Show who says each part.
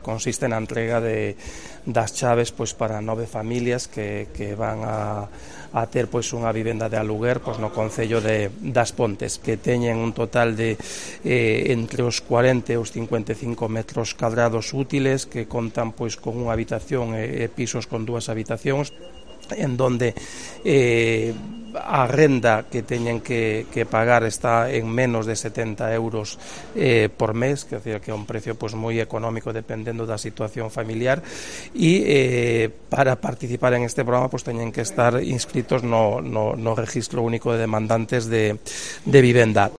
Speaker 1: Consiste na entrega das chaves para 9 familias que van a ter unha vivenda de aluguer no concello das Pontes, que teñen un total de entre os 40 e os 55 metros cadrados útiles, que contan con unha habitación e pisos con 2 habitacións, en donde a renda que teñen que pagar está en menos de 70 euros por mes, que é un precio moi económico dependendo da situación familiar, e para participar en este programa teñen que estar inscritos no Registro Único de Demandantes de Vivenda.